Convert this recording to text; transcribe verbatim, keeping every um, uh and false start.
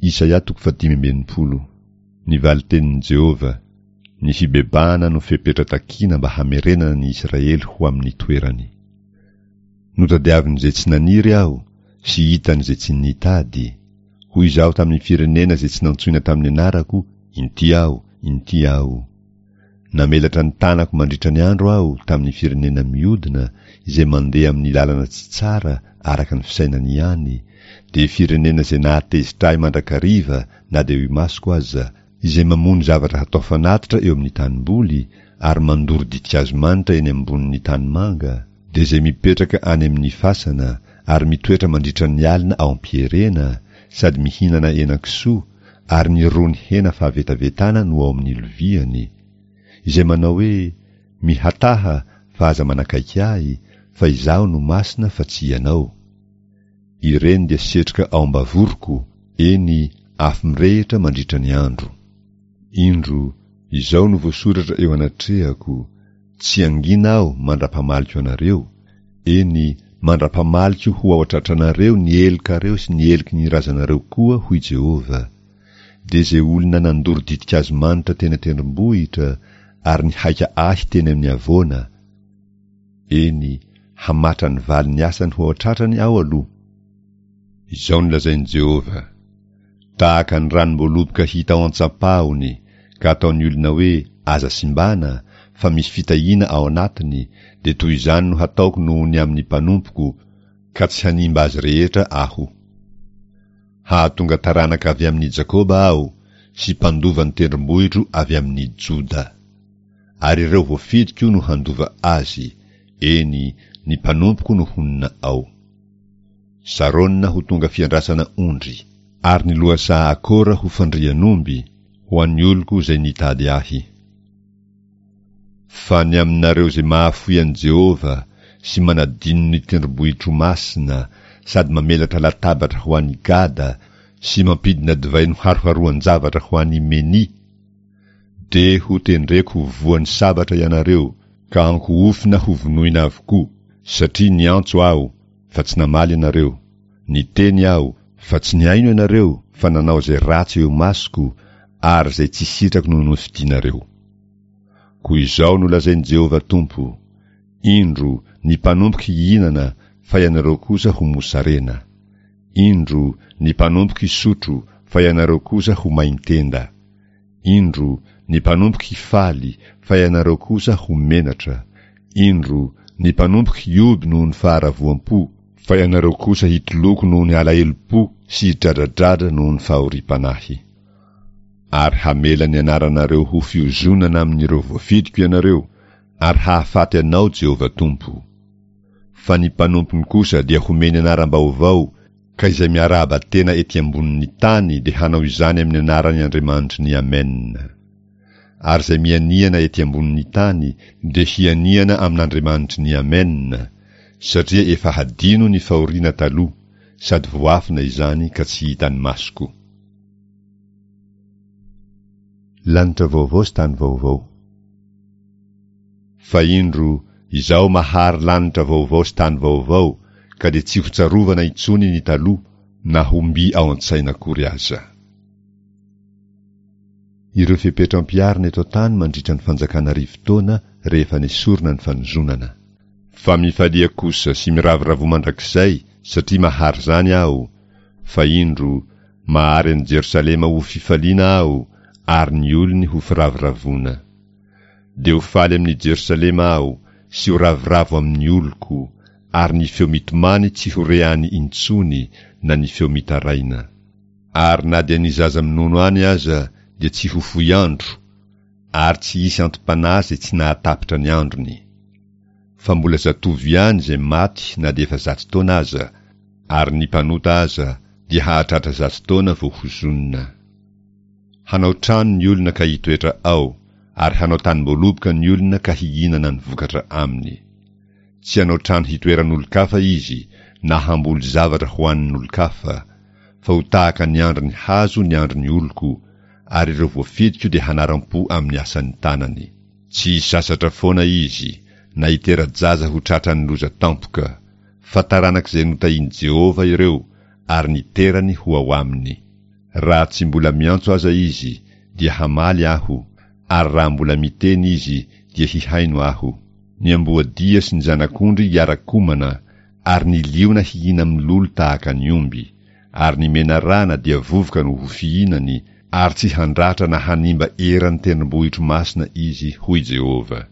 Isaia toko fahadimy amby enimpolo. Ny valin-tenin'i Jehovah, Ny fibebahana no fepetra takina mba hamerenana ny Israely ho amin'ny toerany. Notadiavin'izay tsy naniry aho, sy hitan'izay tsy nitady. Hoy izaho tamin'ny firenena izay tsy nantsoina tamin'ny anarako, Inty aho, inty aho. Namelatra ny tanako mandritra ny andro aho tamin'ny firenena miodina izay mandeha amin'ny lalana tsy tsara araka ny fisainany ihany, dia firenena izay nahatezitra ahy mandrakariva na dia eo imasoko aza, izay mamono zavatra hatao fanatitra eo amin'ny tanimboly ary mandoro ditin-kazo manitra eny ambonin'ny tanimanga, dia izay mipetraka any amin'ny fasana ary mitoetra mandritra ny alina ao am-pierena sady mihinana henan-kisoa ary ny rony hena fahavetavetana no ao amin'ny loviany, izay manao hoe, Mihataha, fa aza manakaiky ahy, fa izaho no masina fa tsy ianao. Ireny dia setroka ao am-bavoroko, eny, afo mirehitra mandritra ny andro. Indro, izao no voasoratra eo anatrehako, Tsy hangina aho mandra-pamaliko anareo, eny, mandra-pamaliko ho ao an-tratranareo ny helokareo sy ny heloky ny razanareo koa, hoy Jehovah. Dia izay olona nandoro ditin-kazo manitra teny an-tendrombohitra ary nihaika ahy teny amin'ny havoana. Eny, hamatra ny valin'ny asany ho ao an-tratrany aho aloha. Izao no lazain'i Jehovah, Tahaka ny ranom-boaloboka hita ao an-tsampahony, ka ataon'ny olona hoe, Aza simbana, fa misy fitahiana ao anatiny, dia toy izany no hataoko noho ny amin'ny mpanompoko, ka tsy hanimba azy rehetra Aho. Hahatonga taranaka avy amin'i Jakoba Aho, sy mpandova ny tendrombohitro avy amin'i Joda. Ary ireo voafidiko no handova azy, eny, ny mpanompoko no honina ao. Sarôna ho tonga fiandrasana ondry, ary ny lohasaha Akora ho fandrian'omby, ho an'ny oloko izay nitady Ahy. Fa ny aminareo izay mahafoy an'i Jehovah sy manadino ny tendrombohitro masina sady mamelatra latabatra ho an'i Gada sy mampidina divay noharoharoan-javatra ho an'i Meni, dia hotendreko ho voan'ny sabatra ianareo ka ankohofina hovonoina avokoa, satria niantso Aho, fa tsy namaly ianareo, niteny Aho, fa tsy nihaino ianareo, fa nanao izay ratsy eo imasoko, ary izay tsy sitrako no nofidinareo. Koa izao no lazain'i Jehovah Tompo, Indro, ny mpanompoko hihinana, fa ianareo kosa ho mosarena. Indro, ny mpanompoko hisotro, fa ianareo kosa ho main-tenda. Indro, ny mpanompoko hifaly, fa ianareo kosa ho menatra. Indro, ny mpanompoko hihoby noho ny faharavoam-po, fa ianareo kosa hitoloko noho ny alahelom-po sy hidradradradra noho ny fahoriam-panahy. Ary hamela ny anaranareo ho fiozonana amin'ireo voafidiko ianareo, ary hahafaty anao Jehovah Tompo. Fa ny mpanompony kosa dia homeny anaram-baovao, ka izay miarahaba tena ety ambonin'ny tany dia hanao izany amin'ny anaran'ny Andriamanitry ny Amen. Ary izay mianiana ety ambonin'ny tany dia hianiana amin'Andriamanitry ny Amen, satria efa hadino ny fahoriana taloha, sady voafina izany ka tsy hitan'ny masoko. Lanitra vaovao sy tany vaovao. Fa indro, Izaho mahary lanitra vaovao sy tany vaovao, ka dia tsy hotsarovana intsony ny taloha, na ho mby ao an-tsaina akory aza. Ireo fepetra ampiharina eto an-tany mandritra ny Fanjakana Arivo Taona rehefa nesorina ny fanozonana. Fa mifalia kosa sy miravoravoa mandrakizay, satria mahary izany Aho, fa indro, mahary an'i Jerosalema ho fifaliana Aho, ary ny olony ho firavoravoana. Dia ho faly amin'i Jerosalema Aho, sy ho ravoravo amin'ny oloko, ary ny feo mitomany tsy ho re any intsony, na ny feo mitaraina. Ary na dia ny zaza minono any aza dia tsy ho fohy andro, ary tsy hisy anti-panahy izay tsy nahatapitra ny androny. Fa mbola zatovo ihany izay maty na dia efa zato taona aza, ary ny mpanota aza dia hahatratra zato taona vao hozonina. Hanao trano ny olona ka hitoetra ao, ary hanao tanim-boaloboka ny olona ka hihinana ny vokatra aminy. Tsy hanao trano hitoeran'olon-kafa izy, na hamboly zavatra hohanin'olon-kafa, fa ho tahaka ny andrin'ny hazo ny andrin'ny oloko, ary ireo voafidiko dia hanaram-po amin'ny asan'ny tanany. Tsy hisasatra foana izy, na hitera-jaza ho tratran'ny loza tampoka, fa taranak'izay notahin'i Jehovah ireo, ary ny terany ho ao aminy. Raha tsy mbola miantso aza izy, dia hamaly Aho, ary raha mbola miteny izy, dia hihaino Aho. Ny amboadia sy ny zanak'ondry hiara-komana, ary ny liona hihina-milolo tahaka ny omby, ary ny menarana dia vovoka no ho fihinany, ary tsy handratra na hanimba eran'ny tendrombohitro masina izy, hoy Jehovah.